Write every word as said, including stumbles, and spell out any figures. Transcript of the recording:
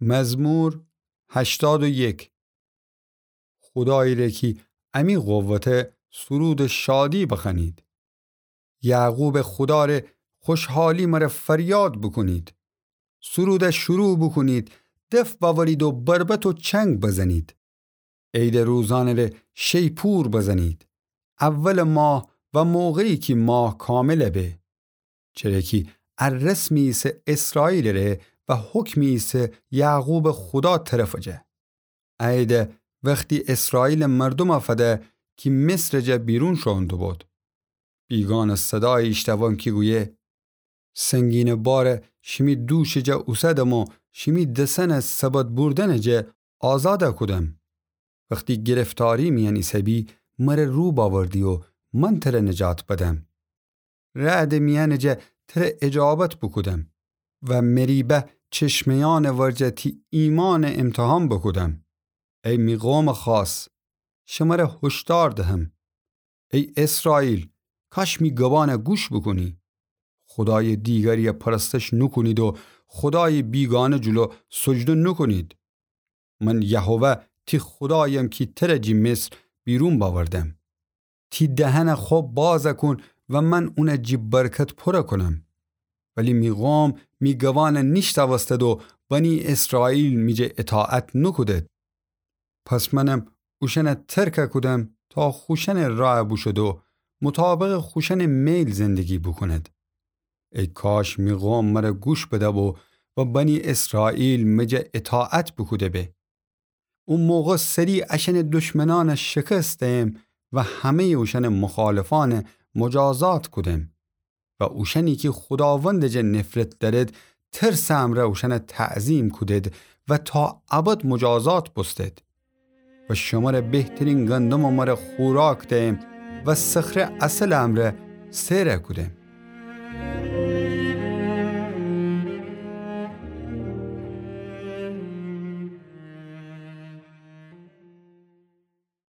مزمور هشتاد و یک. خودایی ره کی امی قوته سرودٚ شادی بخوأنید. یعقوبٚ خودا ره خوشحالی مره فریاد بوکونید. سرود شروع بوکونید، دف بأورید و بربط و چنگ بزنید. عیدٚ روزأنٚ ره شیپور بزنید. اولٚ ماه و موقعی کی ماه کامل به. چره کی ا رسمی ایسه اسرائیلٚ ره و حکمی ایسه یعقوبٚ خودا طرفٚ جا. ا عیده وختی اسرائیلٚ مردوم فده کی مصرٚ جا بیرون شوئون دوبود. بیگانه صدایی ایشتوم کی گویه: سنگینٚ بار شیمی دوشٚ جا اوسدم و شیمی دسأن سبد بوردنٚ جا آزاد کودم. وختی گرفتاری میأن ایسه‌بی، مره رو بأوردی و من تره نجات بدم. رعدٚ میأنٚ جا تره اجابت بوکودم و مریبه چشمه‌یأنٚ ورجه تی ایمأن امتحان بوکودم. ای می قومٚ خاص، شمره هشدار دهم. ای اسرائیل، کاش می گبأن گوش بوکونی. خودایٚ دیگری پرستش نوکونید و خودایٚ بیگانه جلو سجده نوکونید. من یهوه تی خودایم کی تره جی مصر بیرون بأوردم. تی دهن خو باز کون و من اون جی برکت پور کونم. ولی می قوم می گبأن نیشتأوستد و بنی اسرائیل می جه اطاعت نوکودد. پس منم اوشأن ترک کودم تا خوشأنٚ راه بوشد و مطابقٚ خوشأنٚ میل زندگی بوکوند. ای کاش می قوم مره گوش بده‌بو و بنی اسرائیل می جه اطاعت بوکوده‌بی. او موقع سری اشأنٚ دشمنأن شکست دیم و همه‌یٚ اوشأنٚ مخالفأن مجازات کودیم. و اوشأنی کی خوداوندٚ جا نفرت دأرید، ترسٚ امرأ اوشأن تعظیم کودید و تا ابد مجازات بوستید. و شمره بهترین گندم مره خوراک دیم و صخره عسلٚ امرأ سیر کودیم.